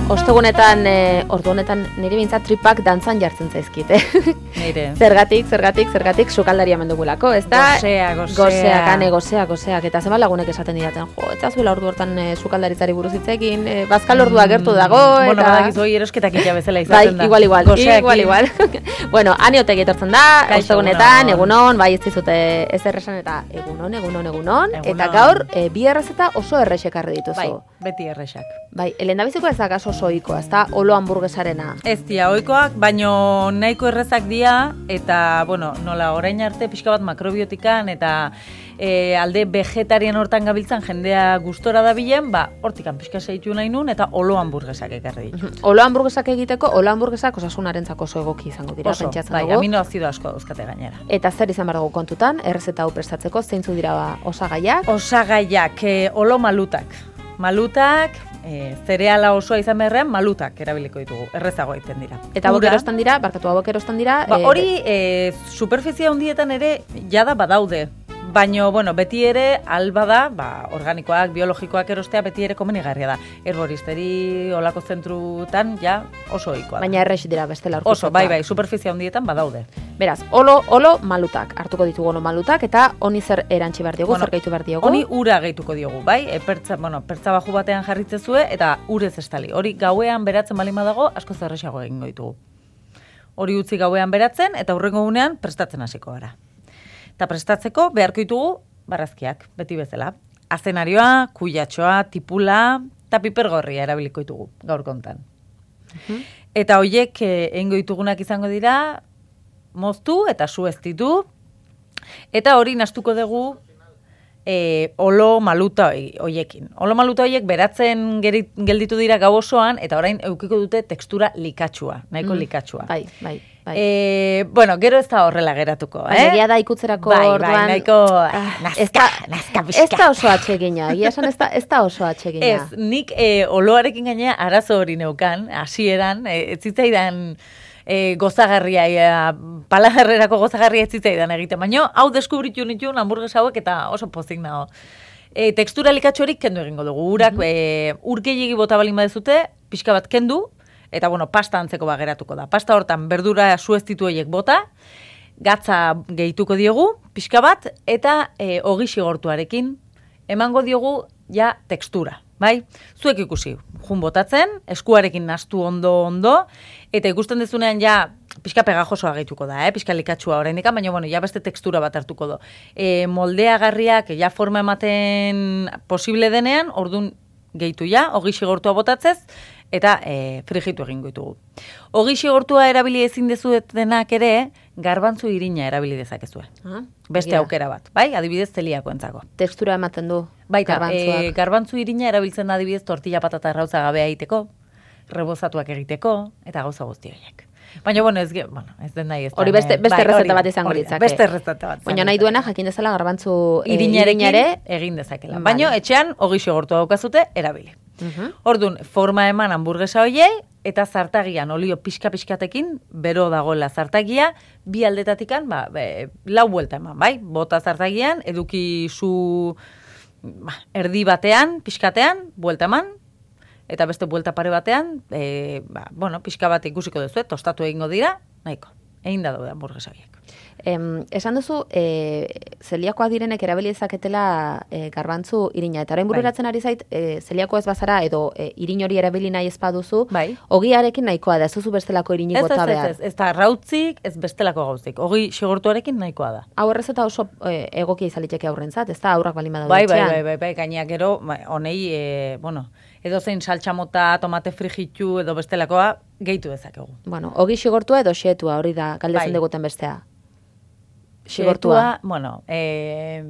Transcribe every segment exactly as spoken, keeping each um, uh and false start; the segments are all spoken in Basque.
Ostegunetan, e, ordu honetan nire bintzat tripak dantzan jartzen zaizkit, eh? Nire. Zergatik, zergatik, zergatik, sukaldaria mendugulako, ez da? Gozea, gozea. Gozea, kane, gozea, gozeak, eta zema lagunek esaten didaten, jo, ez zuela ordu hortan e, sukaldaritzari buruz hitzekin, e, bazkal ordua gertu dago, eta... Bueno, badakizu hoi erosketak illa bezala izaten da. Bai, igual, igual, Gozeakin. igual, igual. Bueno, aniotek etortzen da, ostegunetan, egunon, bai ez dizute ez erresan, eta egunon, egunon, egunon, eta gaur, e, bi errezeta oso errexek arri dituzu. Bai, beti errexak. Bai, elendabiziko ez da kaso oso ohikoa, ez da olo hamburguesarena. Ez dira ohikoak, baino nahiko errezak dira, eta, bueno, nola orain arte pixka bat makrobiotikan, eta e, alde vegetarian hortan gabiltzan jendea gustora dabilen, ba, hortikan pixka seitu nahi nun, eta olo hamburguesak ekarri ditu. Olo hamburguesak egiteko, olo hamburguesak osasunarentzako oso egoki izango dira, oso, pentsatzen bai, dugu. aminoazido asko dauzkate gainera. Eta zer izan behar dugu kontutan, errezeta hau prestatzeko, zeintzu dira ba, osagaiak? Osagaiak, e, olo malutak. Malutak, e, zereala osoa izan beharrean, malutak erabiliko ditugu, errezago egiten dira. Eta hauek erostan dira, barkatu hauek erostan dira... Ba, e, hori, e, superfizia handietan ere, jada badaude. Baina, bueno, beti ere, alba da, ba, organikoak, biologikoak erostea, beti ere komenigarria da. Herboristeri olako zentrutan, ja, oso ohikoa da. Baina errex dira bestela aurkitzeko. Oso, bai, bai, superfizia handietan badaude. Beraz, olo, olo malutak, hartuko ditugu olo malutak, eta honi zer erantzi behar diogu, bueno, zer gehitu behar diogu? Honi ura gehituko diogu, bai? E, pertza, bueno, pertza baju batean jarritzezue, eta urez estali. Hori gauean beratzen balin badago, asko zerrexago egingo ditugu. Hori utzi gauean beratzen, eta hurrengo gunean prestatzen hasiko gara. Eta prestatzeko beharko ditugu barrazkiak, beti bezala. Azenarioa, kuiatxoa, tipula, eta pipergorria erabiliko ditugu, gaur kontan. Uh-huh. Eta hoiek egingo ditugunak izango dira, moztu eta sueztitu, eta hori nastuko dugu e, olo maluta hoiekin. Olo maluta hoiek beratzen gerit, gelditu dira gau osoan, eta orain eukiko dute tekstura likatxua, nahiko mm. likatxua. Bai, bai. Bai. E, bueno, gero ez da horrela geratuko, eh? Egia da ikutzerako bai, orduan... Bai, nahiko nazka, nazka pixka. Ez da oso atsegina, egia esan ez da, ez da oso atsegina. Ez, nik e, oloarekin gainea arazo hori neukan, hasieran, e, ez zitzaidan e, gozagarria, e, palagarrerako gozagarria ez zitzaidan egiten, baina hau deskubritu nituen hamburgues hauek eta oso pozik nago. E, tekstura likatxorik kendu egingo dugu, urak, mm -hmm. e, ur gehiegi bota balin badezute, pixka bat kendu, eta, bueno, pasta antzeko bageratuko da. Pasta hortan berdura sueztitu horiek bota, gatza gehituko diogu, pixka bat, eta e, ogi xigortuarekin emango diogu ja tekstura, bai? Zuek ikusi, jun botatzen, eskuarekin nastu ondo-ondo, eta ikusten dezunean ja pixka pegajosoa gehituko da, eh? Pixka likatxua oraindik, baina, bueno, ja beste tekstura bat hartuko do. E, moldeagarriak ja forma ematen posible denean, ordun gehitu ja, ogi xigortua botatzez, eta e, frijitu egingo ditugu. Ogi xigortua erabili ezin dezuetenak ere, garbantzu irina erabili dezakezue. Ah, Beste agia. Aukera bat, bai? Adibidez zeliakoentzako. Tekstura ematen du Baita, garbantzuak. E, garbantzu irina erabiltzen da adibidez tortilla patata arrautza gabea egiteko, rebozatuak egiteko, eta gauza guzti horiek. Baina, bueno, ez, bueno, ez den nahi ez da. Hori beste, beste bai, rezeta bat izango litzake. Beste rezeta bat. Baina nahi duena jakin dezala garbantzu e, irinarekin irinare egin dezakela. Baina etxean ogi xigortua daukazute erabili. Uh-huh. Orduan, forma eman hamburguesa hoiei, eta zartagian olio pixka-pixkatekin, bero dagoela zartagia, bi aldetatikan, ba, be, lau buelta eman, bai? Bota zartagian, eduki zu ba, erdi batean, pixkatean, buelta eman, eta beste buelta pare batean, e, ba, bueno, pixka bat ikusiko duzu, tostatu egingo dira, nahiko, egin da daude hamburguesa horiek. Em, esan duzu, e, zeliakoak direnek erabili dezaketela e, garbantzu irina. Eta orain bururatzen ari zait, e, zeliako ez bazara edo e, irin hori erabili nahi ez baduzu, bai. Ogiarekin nahikoa da, ez duzu bestelako irinik bota behar. Ez, ez, ez, ez da rautzik, ez bestelako gauzik. Ogi xigortuarekin nahikoa da. Hau errezeta oso e, egokia izaliteke aurrentzat, ez da aurrak balin badaude bai, etxean. Bai, bai, bai, bai, gaineak gero, honei, e, bueno, edo zein saltxamota, tomate frijitu edo bestelakoa gehitu dezakegu. Bueno, ogi xigortua edo xetua, hori da, galdetzen bai. diguten bestea. Xigortua, bueno, e,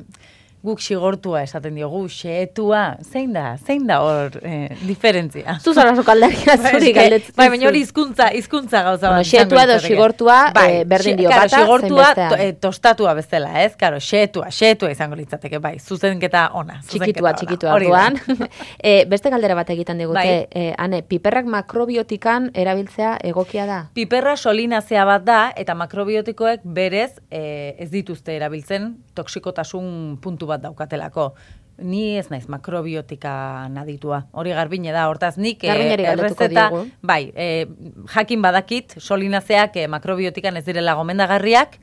guk xigortua esaten diogu, xetua, zein da, zein da hor e, diferentzia. Zuzara sokaldaria zuri galdetzen. Bai, baina hori hizkuntza, hizkuntza gauza. Bueno, xetua edo xigortua bai, e, berdin dio bata, xigortua, zein bestea. To, e, tostatua bezala, ez? Karo, xetua, xetua izango litzateke, bai, zuzenketa ona. Txikitua, txikitua orduan. e, beste galdera bat egiten digute, bai. e, ane, piperrak makrobiotikan erabiltzea egokia da? Piperra solinazea bat da, eta makrobiotikoek berez e, ez dituzte erabiltzen toksikotasun puntu bat daukatelako. Ni ez naiz makrobiotika naditua. Hori Garbine da, hortaz nik Garbineri galdetuko errezeta, diogu. bai, e, jakin badakit, solinazeak e, makrobiotikan ez direla gomendagarriak,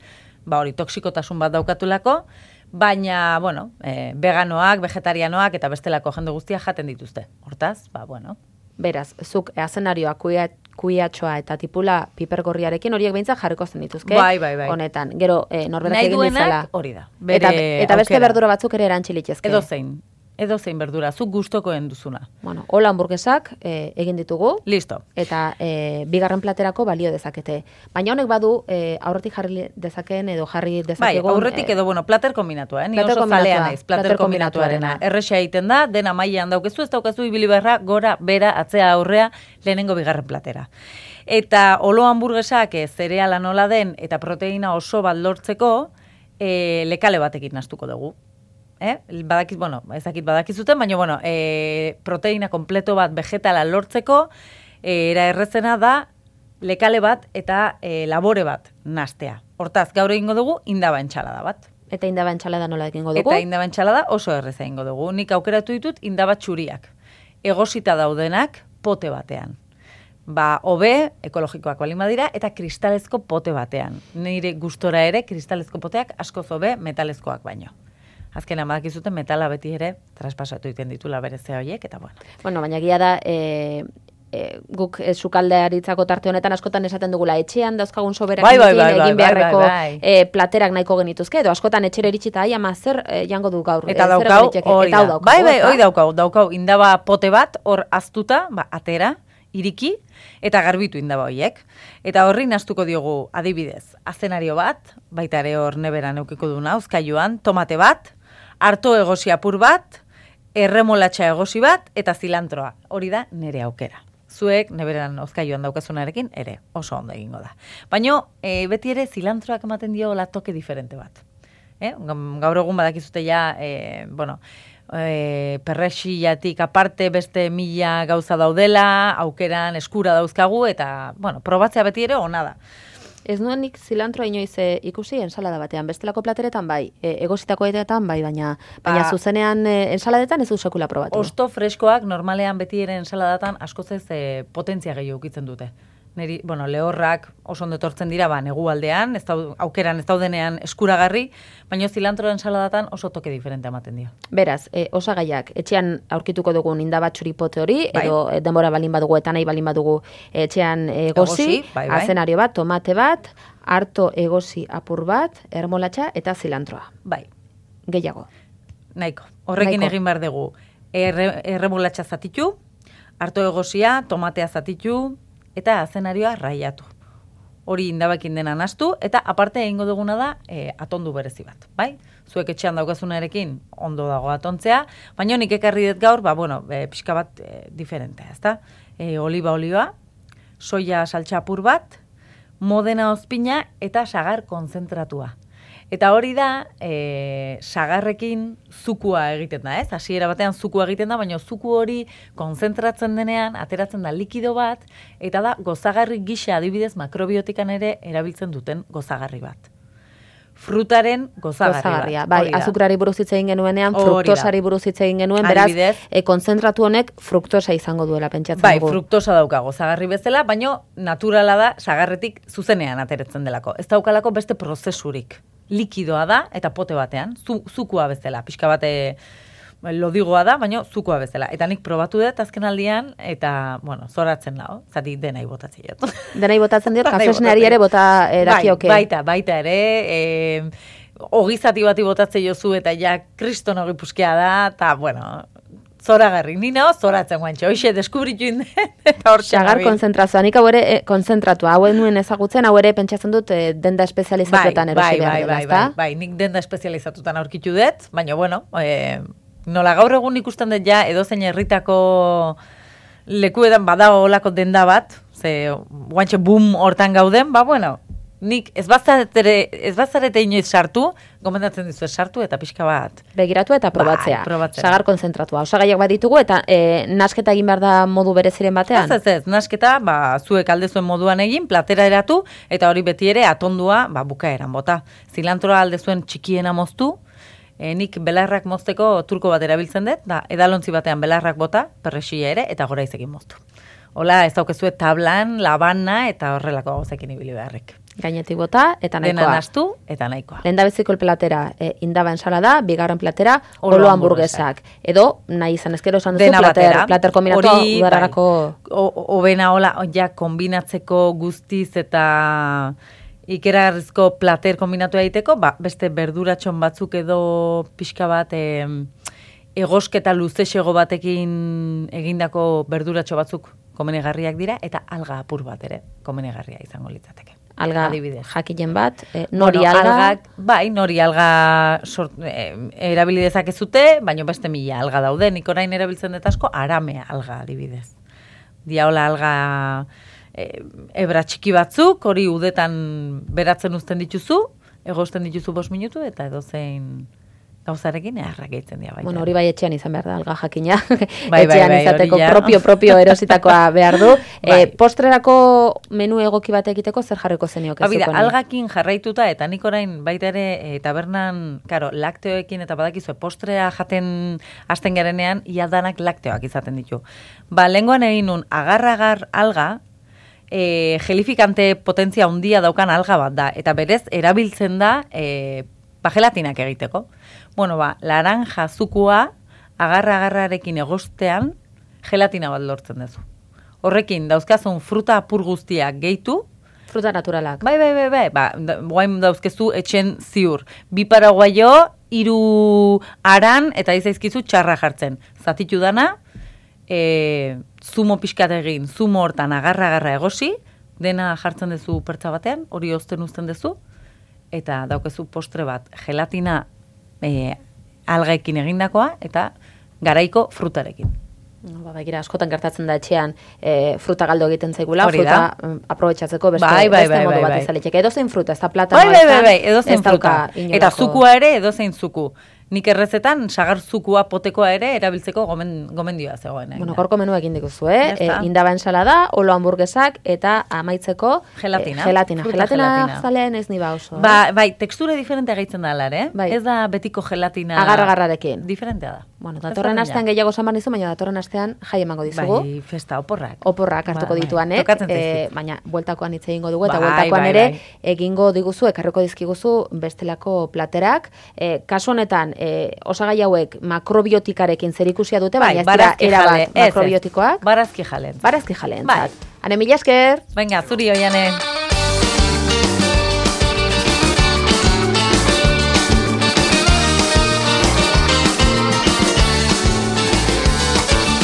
ba hori toksikotasun bat daukatulako, baina, bueno, e, veganoak, vegetarianoak eta bestelako jende guztia jaten dituzte. Hortaz, ba, bueno. Beraz, zuk azenarioa, kuia, kuiatxoa eta tipula pipergorriarekin horiek behintzat jarriko zen dituzke. Bai, bai, bai. Honetan, gero e, norberak Nahi egin duenak dizala. hori da. Eta, eta beste berdura batzuk ere erantxilitezke. Edo zein. Edo zein berdura, zuk gustokoen duzuna. Bueno, hola hamburguesak e, egin ditugu. Listo. Eta e, bigarren platerako balio dezakete. Baina honek badu e, aurretik jarri dezakeen edo jarri Bai, dezakegun. aurretik edo, bueno, plater kombinatua, eh? Ni plater oso kombinatua, zalea naiz, plater, plater kombinatuarena. kombinatuarena. Erresa egiten da, dena mailan daukezu, ez daukazu ibili beharra, gora, bera, atzea, aurrea, lehenengo bigarren platera. Eta olo hamburguesak e, zereala nola den eta proteina oso bat lortzeko e, lekale batekin nastuko dugu. Eh? Badakit, bueno, ezakit badakizuten, baina, bueno, e, proteina kompleto bat vegetala lortzeko, e, era errezena da, lekale bat eta e, labore bat nastea. Hortaz, gaur egingo dugu, indaba entxalada bat. Eta indaba entxalada nola egingo dugu? Eta indaba entxalada oso erreza egingo dugu. Nik aukeratu ditut indaba txuriak. Egosita daudenak pote batean. Ba, hobe, ekologikoak balin badira, eta kristalezko pote batean. Nire gustora ere, kristalezko poteak askoz hobe metalezkoak baino. Azkenean badakizuten metala beti ere traspasatu egiten ditula berezea horiek, eta bueno. Bueno, baina egia da, e, e, guk e, sukaldearitzako tarte honetan askotan esaten dugula, etxean dauzkagun soberak bai, bai, bai, egin bai, beharreko bai, bai. E, platerak nahiko genituzke, edo askotan etxera iritsita, ai, ama zer e, jango du gaur. Eta e, zer daukau, egin hori eta hau da. daukau, Bai, bai, ezta? hori daukau, daukau, indaba pote bat, hor aztuta, ba, atera, iriki, eta garbitu indaba horiek. Eta horri nastuko diogu, adibidez, azenario bat, baita ere hor neberan eukiko duna, uzkailuan, tomate bat, harto egosi apur bat, erremolatxa egosi bat, eta zilantroa. Hori da nere aukera. Zuek, neberan ozkaioan daukazunarekin, ere, oso ondo egingo da. Baina, e, beti ere, zilantroak ematen dio la toke diferente bat. Eh? Gaur egun badakizute ja, e, bueno, e, perrexillatik aparte beste mila gauza daudela, aukeran eskura dauzkagu, eta, bueno, probatzea beti ere ona da. Ez nuen nik zilantroa inoiz e, ikusi ensalada batean, bestelako plateretan bai, e, egositako edetan bai, baina, baina Ba, zuzenean e, ensaladetan ez du sekula probatu. Osto freskoak normalean beti ere ensaladatan askoz ez e, potentzia gehiago ukitzen dute. Neri, bueno, lehorrak oso ondo etortzen dira, ba, negualdean, ez dau, aukeran ez daudenean eskuragarri, baina zilantro ensaladatan oso toke diferente ematen dio. Beraz, e, osagaiak, etxean aurkituko dugun indaba txuripote hori, Bai. edo e, denbora balin badugu eta nahi balin badugu etxean egosi, Egosi, bai, bai. azenario bat, tomate bat, harto egosi apur bat, ermolatxa eta zilantroa. Bai, Gehiago. nahiko. Horrekin Nahiko. egin behar dugu. Erre, erremolatxa zatitu, harto egosia, tomatea zatitu, eta azenarioa raiatu. Hori indabakin dena nastu, eta aparte egingo duguna da e, atondu berezi bat, bai? Zuek etxean daukazunarekin ondo dago atontzea, baina nik ekarri dut gaur, ba, bueno, e, pixka bat e, diferentea, ezta? E, oliba olioa, soia saltxapur bat, modena ozpina eta sagar konzentratua. Eta hori da, e, sagarrekin zukua egiten da, ez? Hasiera batean zukua egiten da, baina zuku hori konzentratzen denean, ateratzen da likido bat, eta da gozagarri gisa adibidez makrobiotikan ere erabiltzen duten gozagarri bat. Frutaren gozagarri Gozagarria. bat. Bai, hori da. azukrari buruz hitz egin genuenean, Hori da. fruktosari buruz hitz egin genuen, beraz, Adibidez. e, konzentratu honek fruktosa izango duela pentsatzen Bai, dugu. fruktosa dauka gozagarri bezala, baina naturala da sagarretik zuzenean ateratzen delako. Ez daukalako beste prozesurik. Likidoa da eta pote batean, zu, zukua bezala, pixka bate lodigoa da, baina zukua bezala. Eta nik probatu dut azken aldian, eta, bueno, zoratzen nago, zati denai botatzen jot. Denai botatzen diot, Denai kafesneari botatzen. ere bota e, dakioke. Bai, baita, baita ere, e, ogizati bati botatzen jozu, eta ja kriston ogi puskea da, eta, bueno, zoragarri, ni nao zoratzen guantxe, hoxe deskubritu inden, eta hor Sagar konzentrazioa, nik hau ere e, konzentratua, hau nuen ezagutzen, hau ere pentsatzen dut e, denda espezializatuetan bai, erosi bai, behar bai, dela, bai, ezta? bai, bai, nik denda espezializatutan aurkitu dut, baina, bueno, e, nola gaur egun ikusten dut ja, edozein herritako lekuetan badago olako denda bat, ze guantxe boom hortan gauden, ba, bueno, nik ez bazarete, ez bazarete inoiz sartu, gomendatzen dizu sartu eta pixka bat. Begiratu eta probatzea. Bai, probatzea. Sagar konzentratua. Osagaiak baditugu eta e, nasketa egin behar da modu bereziren batean. Ez, ez, ez, nasketa, ba, zuek aldezuen moduan egin, platera eratu, eta hori beti ere atondua, ba, bukaeran bota. Zilantroa aldezuen txikiena moztu, E, nik belarrak mozteko turko bat erabiltzen dut, da edalontzi batean belarrak bota, perrexia ere, eta gora izekin moztu. Hola, ez daukezue tablan, labana, eta horrelako gauzekin ibili beharrek. Gainetik bota, eta nahikoa. Dena nastu, eta nahikoa. Lehendabiziko el platera e, indaba ensalada, bigarren platera olo, olo hamburguesak. Edo, nahi izan ezkero esan duzu, plater, plater kombinatu udararako... Obena hola, ja, kombinatzeko guztiz eta ikeragarrizko plater kombinatu egiteko, ba, beste berduratxon batzuk edo pixka bat... E, egosketa luzexego batekin egindako berduratxo batzuk komenegarriak dira, eta alga apur bat ere komenegarria izango litzateke. Alga jakinen bat, e, nori bueno, alga... Algak, bai, nori alga sort, e, erabili dezakezute, baina beste mila alga daude, nik orain erabiltzen dut asko, arame alga adibidez. Diaola alga e, ebra txiki batzuk, hori udetan beratzen uzten dituzu, egosten dituzu bost minutu, eta edozein... gauzarekin eharrak egiten dira baita. Bueno, hori bai etxean izan behar da, alga jakina. Bai, etxean bai, bai, izateko propio-propio erositakoa behar du. Bai. E, postrerako menu egoki bat egiteko zer jarriko zenioke? Ba, bida, algakin jarraituta, eta nik orain baita ere e, tabernan, karo, lakteoekin eta badakizue, postrea jaten hasten garenean, ia danak lakteoak izaten ditu. Ba, lengoan egin nun, agar-agar alga, e, gelifikante potentzia handia daukan alga bat da, eta berez, erabiltzen da, e, ba, gelatinak egiteko. Bueno, ba, laranja zukua agarra-agarrarekin egostean gelatina bat lortzen duzu. Horrekin, dauzkazun fruta apur guztiak gehitu. Fruta naturalak. Bai, bai, bai, bai. Ba, guain dauzkezu etxen ziur. Bi paraguaio, hiru aran, eta izaizkizu txarra jartzen. Zatitu dana, e, zumo pixkat egin, zumo hortan agarra-agarra egosi, dena jartzen duzu pertsa batean, hori ozten uzten duzu, eta daukezu postre bat gelatina e, algaekin egindakoa eta garaiko frutarekin. Ba, begira, askotan gertatzen da etxean e, fruta galdo egiten zaigula, fruta aprobetxatzeko beste, bai, bai, beste bai, modu bai, bat bai. izaletik. Edozein fruta, ez da platanoa bai, bai, bai, bai, edozein fruta. Inolako... Eta zukua ere edozein zuku. Nik errezetan sagar zukua potekoa ere erabiltzeko gomen, gomendioa zegoen. Bueno, gorko menua egin dikuzu, eh? E, indaba ensalada, olo hamburguesak eta amaitzeko gelatina. E, gelatina. Gelatina, gelatina zalean ez niba oso. Ba, bai, tekstura diferentea gaitzen da alare, eh? Bai. Ez da betiko gelatina... Agarra-agarrarekin. Diferentea da. Bueno, datorren astean gehiago samar nizu, baina datorren astean jai emango dizugu. Bai, festa, oporrak. Oporrak hartuko ba, dituanek, bai. e, baina bueltakoan hitz egingo dugu, eta bai, bueltakoan bai, ere bai. egingo diguzu, ekarriko dizkiguzu bestelako platerak. E, kasu honetan, e, osagai hauek makrobiotikarekin zerikusia dute, baina bai, ez dira erabat makrobiotikoak. Barazki jalen. Barazki jalen. Bai. Hane mila esker. Venga, zuri oianen.